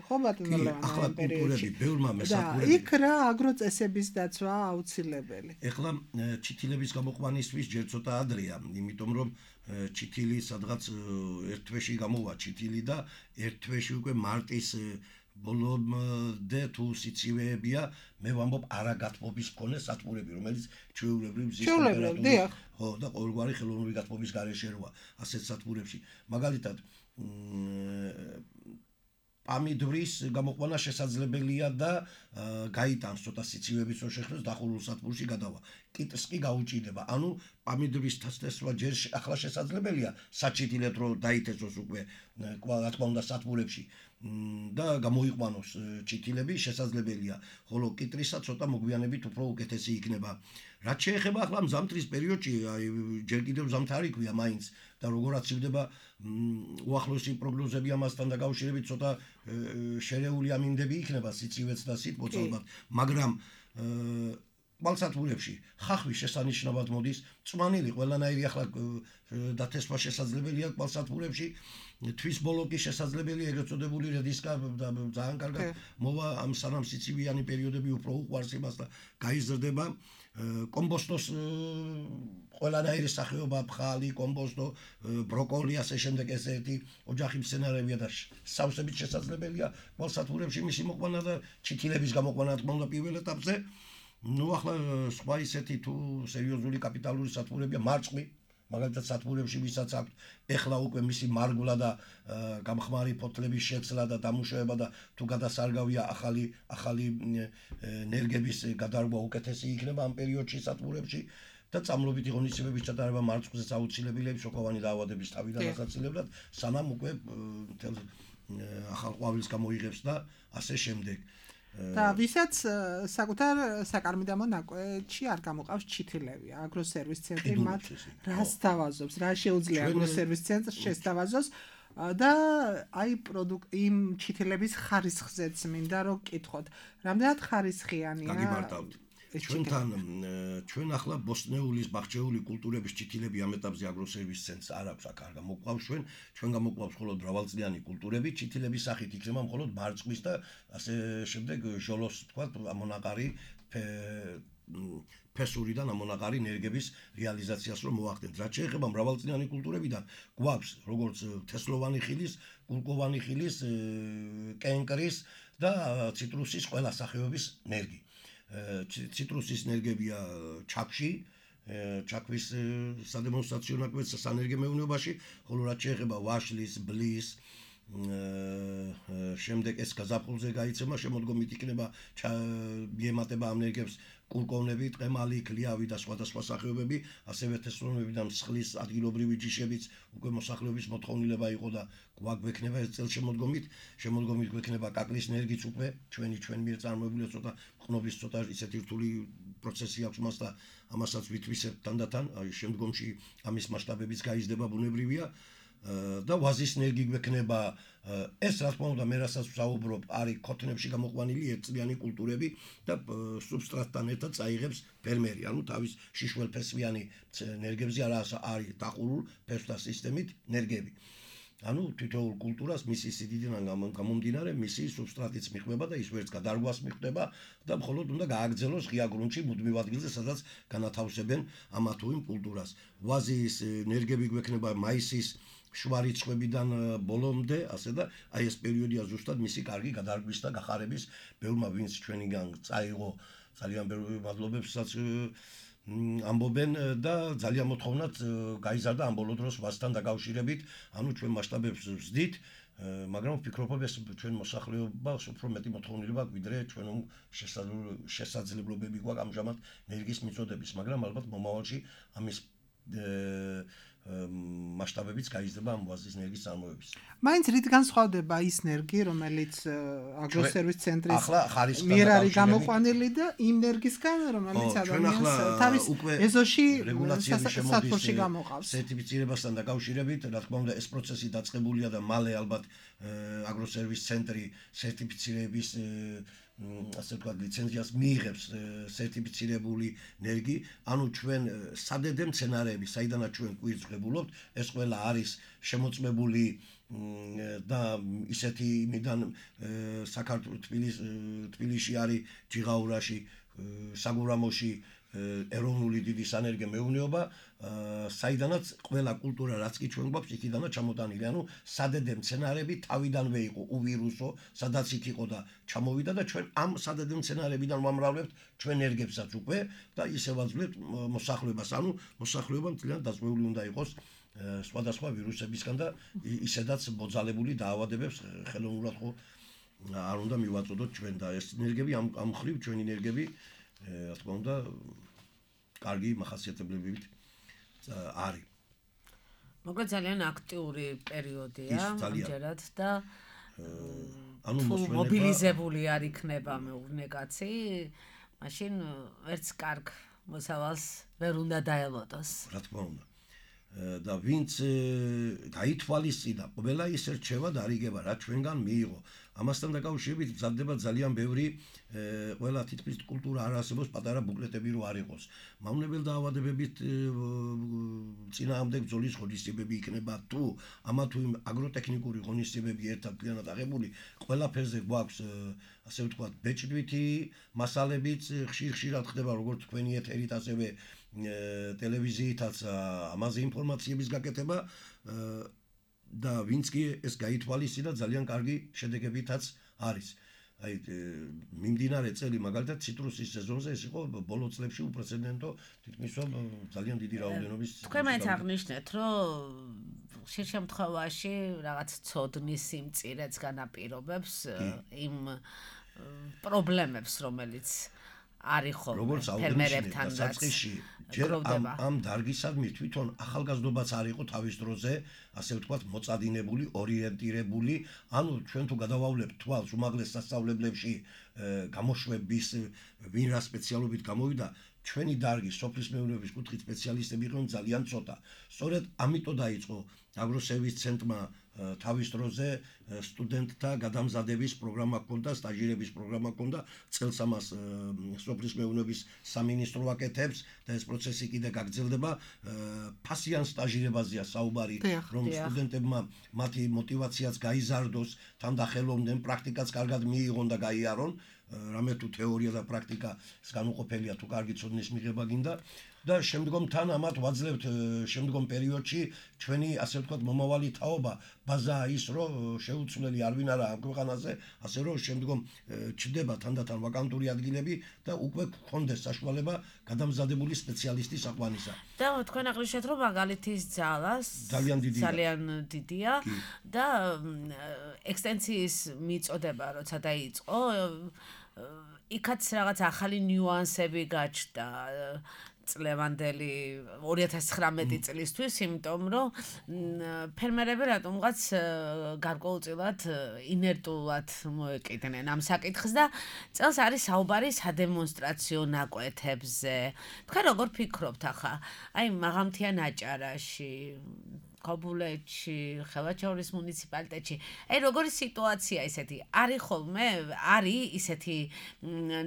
ხო ბატონო ლევან ამ პერიოდში ბევრმა მესათბურები. იქ რა აგროწესების დაცვა აუცილებელი. ეხლა ჩითილების გამოყვანისთვის ჯერ ცოტა ადრეა, იმიტომ რომ ჩითილი სადღაც ერთ თვეში გამოვა ჩითილი და ერთ თვეში უკვე მარტის ბოლომდე თუ სიცივეებია, მე ვამბობ არაგათბობის მქონე სათბურები, რომელიც ჩვეულებრივ მზის ტემპერატურით, ხო და ყოველგვარი ხელოვნური გათბობის გარეშე როა ასეთ სათბურებში. მაგალითად, პამიდვრის გამოყვანა შესაძლებელია და გაიტანს ცოტა სიცივეების რო შეხვდეს დახურულ სათბურში გადავა. კიტს კი გაუჭირდება. ანუ პამიდვრის თესვა ჯერ ახლა შესაძლებელია საჩითილეთ რო დაითესოს უკვე რა თქმა უნდა სათბურებში და გამოიყვანოს ჩითილები შესაძლებელია, ხოლო კიტრისა ცოტა მოგვიანებით უფრო უკეთესი იქნება. რაც შეეხება ახლა მზამთრის პერიოდში, აი ჯერ კიდევ ზამთარი ქვია მაინც და როგორაც ივდება უახლოესი პროგნოზები ამასთან დაკავშირებით ცოტა შერეული ამინდები იქნება სიცივეც და სითბოც ალბათ, მაგრამ კვალსათბურებში ხახვი შესანიშნავად მოდის, წვანილი ყველანაირი ახლა დათესვა შესაძლებელია კვალსათბურებში, თვის ბოლოკი შესაძლებელია, ეგრეთ წოდებული რედისკა ძალიან კარგად მოვა ამ სანამ სიცივიანი პერიოდები უფრო უყვარს იმას და გაიზრდება. კომბოსტოს ყველანაირი სახეობა, ბხალი, კომბოსტო, ბროკოლი, ასე შემდეგ ეს ერთი ოჯახი მცენარეებია და სავსებით შესაძლებელია კვალსათბურებში მისი მოყვანა და ჩითილების გამოყვანა თქმა უნდა პირველ ეტაპზე. ნუ ახლა სხვა ისეთი თუ სერიოზული კაპიტალური სათბურებია მარწყვი მაგალითად სათბურებში ვისაც აქვს ეხლა უკვე მისი მარგვლა და გამხმარი ფოთლების შეცლა და დამუშავება და თუ გადასარგავია ახალი ახალი ენერგიების გადარგვა უკეთესი იქნება ამ პერიოდში სათბურებში და წამლობითი ღონისძიებების ჩატარება მარწყვზე აუცილებელია სოკოვანი დაავადების თავიდან ასაცილებლად სანამ უკვე ახალ ყვავილს გამოიღებს და ასე შემდეგ და ვისაც საკუთარ საკარმიდამო ნაკვეთში არ გამოყავს ჩითილები აგროსერვის ცენტრი მათ რას თავაზობს რა შეუძლია აგროსერვის ცენტრს შესთავაზოს და აი პროდუქტ იმ ჩითილების ხარისხზეც მინდა რომ გკითხოთ რამდენად ხარისხიანია გაგიმარტავთ ჩვენთან ჩვენ ახლა ბოსნეულის ბახჩეული კულტურების ჩითილები ამ ეტაპზე აგროსერვის ცენტრს არ აქვს აქ არ გამოყვავს ჩვენ ჩვენ გამოყვავს მხოლოდ მრავალწლიანი კულტურები ჩითილების სახით იქნება მხოლოდ მარწყვის და ასე შემდეგ ჟოლოს თქვა ამონაყარი ფესურიდან ამონაყარი ენერგიების რეალიზაციას რომ მოახდენთ რაც შეეხება მრავალწლიანი კულტურებიდან გვაქვს როგორც თესლოვანი ხილის კულკოვანი ხილის კენკრის და ციტრუსის ყველა სახეობის ენერგი ციტრუსის ენერგიებია ჩაკში ჩაკვის სადემონსტრაციო ნაკვეთსა სანერგე მეურნეობაში ხოლო რაც შეეხება ვაშლის ბლის შემდეგ ეს გაზაფხულზე გაიცემა შემოდგომით იქნება მიემატება ამ ენერგიებს კულკოვნები, ტყემალი, ქლიავი და სხვადასხვა სახეობები, ასევე თესლოვნებიდან მსხლის ადგილობრივი ჯიშებიც უკვე მოსახლეობის მოთხოვნილება იყო და გვაგვექნება ეს წელშემოდგომით, შემოდგომით გვექნება კაკლის ენერგიც უკვე ჩვენი ჩვენ მიერ წარმოებული ცოტა ყნობის ცოტა ისეთი რთული პროცესი აქვს მას და ამასაც ვითვისებთ თანდათან, აი შემდგომში ამის მასშტაბებიც გაიზრდება ბუნებრივია და ვაზის ენერგი გვექნება ეს რა თქმა უნდა მე რასაც ვსაუბრობ არის ქოთნებში გამოყვანილი ერთწლიანი კულტურები და სუბსტრატთან ერთად წაიღებს ფერმერი ანუ თავის შიშველფესვიანი ენერგიებზე არა არის დაყურულ ფესვთა სისტემით ენერგიები ანუ თითოეულ კულტურას მისი სიდიდიდან გამომდინარე მისი სუბსტრატიც მიხვდება და ის ვერც გადარგვას მიხვდება და მხოლოდ უნდა გააგრძელოს ღია გრუნტში მუდმივ ადგილზე სადაც განათავსებენ ამა თუ იმ კულტურას ვაზის ენერგიები გვექნება მაისის შუა რიცხვებიდან ბოლომდე, ასე და აი ეს პერიოდია ზუსტად მისი კარგი გადარგვის და გახარების ბევრმა ვინც ჩვენიგან წაიღო ძალიან ბევრი მადლობებსაც ამბობენ და ძალიან მოთხოვნად გაიზარდა ამ ბოლო დროს ვაზთან დაკავშირებით, ანუ ჩვენ მასშტაბებს ვზდით, მაგრამ ვფიქრობ ეს ჩვენ მოსახლეობას უფრო მეტი მოთხოვნილება გვიდრე ჩვენ შესაძლებლობები გვაქვს ამჟამად ენერგიის მიწოდების, მაგრამ ალბათ მომავალში ამის მასშტაბებიც გაიზრდება ამ ვაზის ენერგიის წარმოების. მაინც რით განსხვავდება ის ენერგი, რომელიც აგროსერვის ცენტრის მიერ არის გამოყვანილი და იმ ენერგისგან, რომელიც ადამიანს თავის ეზოში სათბურში გამოყავს. სერტიფიცირებასთან დაკავშირებით, რა თქმა უნდა, ეს პროცესი დაწყებულია და მალე ალბათ აგროსერვის ცენტრი სერტიფიცირების ასე ვთქვათ, ლიცენზიას მიიღებს სერტიფიცირებული ენერგი, ანუ ჩვენ სადედე მცენარეები, საიდანაც ჩვენ კვირს ვღებულობთ, ეს ყველა არის შემოწმებული და ისეთი იმიდან საქართველოს თბილისში არის ჯიღაურაში, საგურამოში ეროვნული დიდი სანერგე მეურნეობა, საიდანაც ყველა კულტურა რაც კი ჩვენ გვაქვს, იქიდანაც ჩამოტანილი, ანუ სადედე მცენარეები თავიდანვე იყო უვირუსო, სადაც იქ იყო და ჩამოვიდა და ჩვენ ამ სადედე მცენარეებიდან ვამრავლებთ ჩვენ ენერგიებსაც უკვე და ისე ვაძლევთ მოსახლეობას, ანუ მოსახლეობა მთლიანად დაზღვეული უნდა იყოს სხვადასხვა ვირუსებისგან და ისედაც მოძალებული დაავადებებს ხელოვნურად ხო არ უნდა მივაწოდოთ ჩვენ და ეს ენერგიები ამ ამ ხრივ ჩვენი ენერგიები რა თქმა უნდა კარგი მახასიათებლებით არის. მოკლედ ძალიან აქტიური პერიოდია ამჯერად და ანუ მობილიზებული არ იქნება მეურნე კაცი, მაშინ ვერც კარგ მოსავალს ვერ უნდა დაელოდოს. რა თქმა უნდა. და ვინც გაითვალისწინა, ყველა ის რჩევა დარიგება, რა ჩვენგან მიიღო. ამასთან დაკავშირებით მზადდება ძალიან ბევრი ყველა თითქმის კულტურა არ არსებობს პატარა ბუკლეტები რო არ იყოს. მავნებელ დაავადებებით წინააღმდეგ ბრძოლის ღონისძიებები იქნება თუ ამა თუ იმ აგროტექნიკური ღონისძიებები ერთად მთლიანად აღებული, ყველაფერზე გვაქვს ასე ვთქვათ ბეჭდვითი მასალებიც ხშირ-ხშირად ხდება როგორც თქვენი ეთერით, ასევე ტელევიზიითაც ამაზე ინფორმაციების გაკეთება და ვინც კი ეს გაითვალისწინა ძალიან კარგი შედეგებითაც არის. აი მიმდინარე წელი მაგალითად ციტრუსის სეზონზე ეს იყო ბოლო წლებში უპრეცედენტო თითქმის ძალიან დიდი რაოდენობის თქვენ მაინც აღნიშნეთ რომ ხშირ შემთხვევაში რაღაც ცოდნის სიმწირეც განაპირობებს იმ პრობლემებს რომელიც არის ხოლმე ფერმერებთან საწყისში ჯერ ამ ამ დარგისადმი თვითონ ახალგაზრდობაც არ იყო თავის დროზე ასე ვთქვათ მოწადინებული ორიენტირებული ანუ ჩვენ თუ გადავავლებთ თვალს უმაღლეს სასწავლებლებში გამოშვების ვინ რა სპეციალობით გამოვიდა ჩვენი დარგი სოფლის მეურნეობის კუთხით სპეციალისტები იყვნენ ძალიან ცოტა სწორედ ამიტომ დაიწყო აგროსერვის ცენტრმა თავის დროზე სტუდენტთა გადამზადების პროგრამა ჰქონდა, სტაჟირების პროგრამა ჰქონდა, წელს ამას სოფლის მეურნეობის სამინისტრო აკეთებს და ეს პროცესი კიდე გაგრძელდება. ფასიან სტაჟირებაზეა საუბარი, რომ სტუდენტებმა მათი мотиваციაც გაიზარდოს, თან დახელოვნდნენ, პრაქტიკაც კარგად მიიღონ და გაიარონ. რამე თუ თეორია და პრაქტიკა განუყოფელია თუ კარგი ცოდნის მიღება გინდა და შემდგომ თან ამათ ვაძლევთ შემდგომ პერიოდში ჩვენი ასე ვთქვათ მომავალი თაობა ბაზაა ის რომ შეუცვლელი არ ვინ არა ამ ქვეყანაზე ასე რომ შემდგომ ჩდება თანდათან ვაკანტური ადგილები და უკვე გქონდეს საშუალება გადამზადებული სპეციალისტის აყვანისა და თქვენ აღნიშნეთ რომ მაგალითის ძალას ძალიან დიდია ძალიან დიდია და ექსტენციის მიწოდება როცა დაიწყო იქაც რაღაც ახალი ნიუანსები გაჩნდა წლევანდელი ორი ათას ცხრამეტი წლისთვის, იმიტომ რომ ფერმერები რატომღაც გარკვეულწილად ინერტულად მოეკიდნენ ამ საკითხს და წელს არის საუბარი სადემონსტრაციო ნაკვეთებზე. თქვენ როგორ ფიქრობთ ახლა? აი მაღალმთიან აჭარაში ქობულეთში, ხელვაჩაურის მუნიციპალიტეტში. აი როგორი სიტუაცია ისეთი? არის ხოლმე, არის ისეთი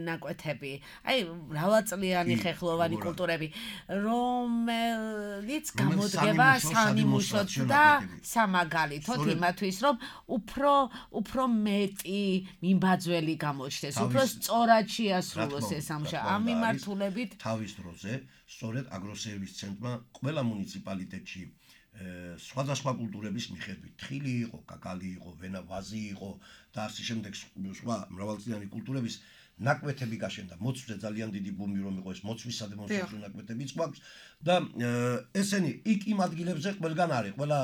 ნაკვეთები. აი მრავალწლიანი ხეხლოვანი კულტურები, რომელიც გამოდგება სამიმუშოდ და სამაგალითოდ იმათვის, რომ უფრო უფრო მეტი მიმბაძველი გამოჩნდეს, უფრო სწორად შეასრულოს ეს ამშა. ამ მიმართულებით თავის დროზე, სწორედ აგროსერვის ცენტრმა ყველა მუნიციპალიტეტში სხვადასხვა კულტურების მიხედვით თხილი იყო, კაკალი იყო, ვენა ვაზი იყო და ასე შემდეგ სხვა მრავალწლიანი კულტურების ნაკვეთები გაშენდა. მოცვზე ძალიან დიდი ბუმი რომ იყო ეს მოცვის სადემონსტრაციო ნაკვეთებიც გვაქვს და ესენი იქ იმ ადგილებზე ყველგან არის, ყველა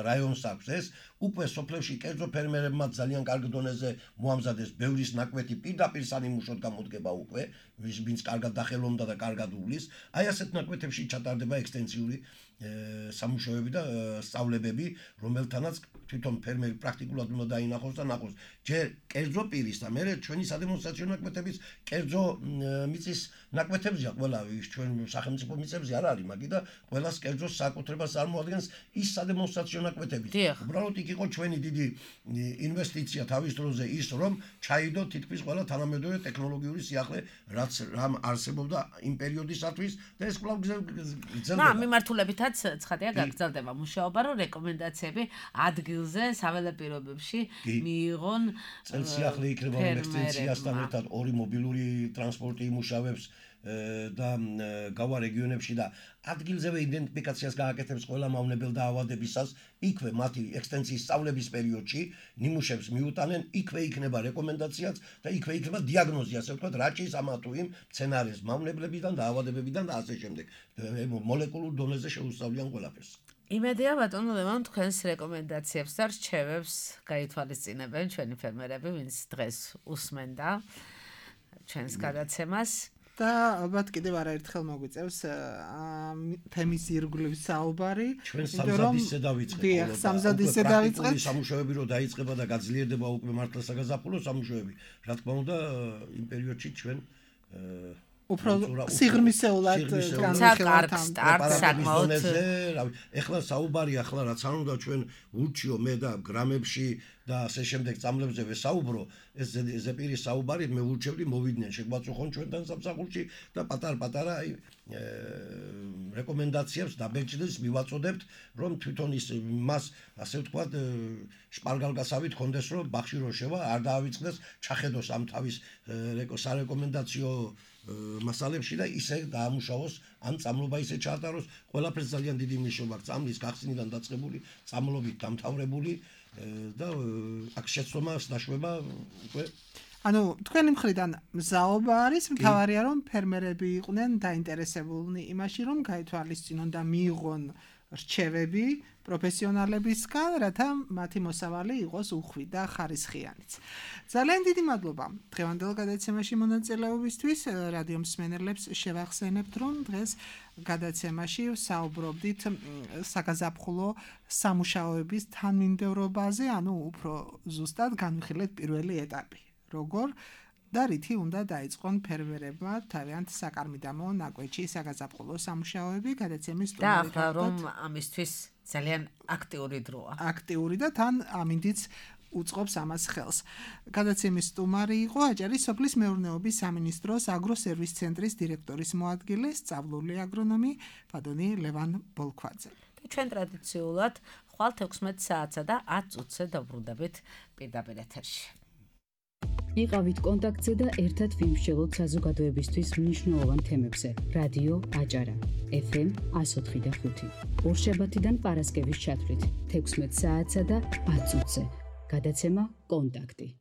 რაიონს აქვს ეს. უკვე სოფლებში კერძო ფერმერებმა ძალიან კარგ დონეზე მოამზადეს ბევრის ნაკვეთი პირდაპირ სამიმუშოდ გამოდგება უკვე, ვინც კარგად დახელოვნდა და კარგად უვლის. აი ასეთ ნაკვეთებში ჩატარდება ექსტენსიური სამუშაოები და სწავლებები, რომელთანაც თვითონ ფერმერი პრაქტიკულად უნდა დაინახოს და ნახოს. ჯერ კერძო პირის და მე ჩვენი სადემონსტრაციო ნაკვეთების კერძო მიწის ნაკვეთებია ყველა ის ჩვენ სახელმწიფო მიწებზე არ არის, მაგი და ყველას კერძო საკუთრებას წარმოადგენს ის სადემონსტრაციო ნაკვეთები. უბრალოდ იქ იყო ჩვენი დიდი ინვესტიცია თავის დროზე ის რომ ჩაიდო თითქმის ყველა თანამედროვე ტექნოლოგიური სიახლე რაც რამ არსებობდა იმ პერიოდისათვის და ეს კვლავ გრძელდება. ამ მიმართულებითაც ცხადია გაგრძელდება მუშაობა რომ რეკომენდაციები ადგილზე საველე პირობებში მიიღონ წელსიახლე იქნება რომ ექსტენსიასთან ერთად ორი მობილური ტრანსპორტი იმუშავებს და გავა რეგიონებში და ადგილზევე იდენტიფიკაციას გააკეთებს ყველა მავნებელ დაავადებისას, იქვე მათი ექსტენსიის სწავლების პერიოდში ნიმუშებს მიუტანენ, იქვე იქნება რეკომენდაციაც და იქვე იქნება დიაგნოზი, ასე ვთქვათ, რა ჭირს ამა თუ იმ მცენარეს მავნებლებიდან, დაავადებებიდან და ასე შემდეგ. მოლეკულურ დონეზე შეუსწავლიან ყველაფერს. იმედია ბატონო ლევან თქვენს რეკომენდაციებს და რჩევებს გაითვალისწინებენ ჩვენი ფერმერები, ვინც დღეს უსმენდა ჩვენს გადაცემას. და ალბათ კიდევ არაერთხელ მოგვიწევს თემის ირგვლივ საუბარი. ჩვენ სამზადისზე დავიწყეთ. დიახ, სამზადისზე დავიწყეთ. სამუშაოები რო დაიწყება და გაძლიერდება უკვე მართლა საგაზაფხულო სამუშაოები. რა თქმა უნდა, იმ პერიოდში ჩვენ უფრო სიღრმისეულად განხილავთ სტარტს საკმაოდ. ეხლა საუბარი ახლა რაც არ უნდა ჩვენ ურჩიო მე და გრამებში და ასე შემდეგ წამლებზე ვესაუბრო, ეს ზეპირის საუბარი მე ურჩევდი მოვიდნენ შეგვაწუხონ ჩვენთან სამსახურში და პატარ-პატარა აი რეკომენდაციებს დაბეჭდეს მივაწოდებთ, რომ თვითონ ის მას ასე ვთქვათ შპარგალგასავით ხონდეს, რომ ბახში რო შევა არ დაავიწყდეს, ჩახედოს ამ თავის სარეკომენდაციო მასალებში და ისე დაამუშავოს, ან წამლობა ისე ჩაატაროს, ყველაფერს ძალიან დიდი მნიშვნელობა აქვს წამლის გახსნიდან დაწყებული, წამლობით დამთავრებული და აქ შეცდომას დაშვება უკვე ანუ თქვენი მხრიდან მზაობა არის, მთავარია რომ ფერმერები იყვნენ დაინტერესებულნი იმაში, რომ გაითვალისწინონ და მიიღონ რჩევები პროფესიონალებისგან, რათა მათი მოსავალი იყოს უხვი და ხარისხიანიც. ძალიან დიდი მადლობა დღევანდელ გადაცემაში მონაწილეობისთვის. რადიო მსმენელებს შევახსენებთ, რომ დღეს გადაცემაში საუბრობდით საგაზაფხულო სამუშაოების თანმიმდევრობაზე, ანუ უფრო ზუსტად განვიხილეთ პირველი ეტაპი. როგორ და რითი უნდა დაიწყონ ფერმერებმა თავიანთ საკარმიდამო ნაკვეთში საგაზაფხულო სამუშაოები. გადაცემის სტუმარი და რომ ამისთვის ძალიან აქტიური დროა. აქტიური და თან ამინდიც უწყობს ამას ხელს. გადაცემის სტუმარი იყო აჭარის სოფლის მეურნეობის სამინისტროს აგროსერვის ცენტრის დირექტორის მოადგილე, სწავლული აგრონომი ბატონი ლევან ბოლქვაძე. ჩვენ ტრადიციულად ხვალ თექვსმეტ საათსა და ათ წუთზე დავბრუნდებით პირდაპირ ეთერში. იყავით კონტაქტზე და ერთად ვიმსჯელოთ საზოგადოებისთვის მნიშვნელოვან თემებზე. რადიო აჭარა ეფ ემ εκατო ოთხი და ხუთი. ორშაბათიდან პარასკევის ჩათვლით თექვსმეტ საათსა და ათ წუთზე. გადაცემა კონტაქტი.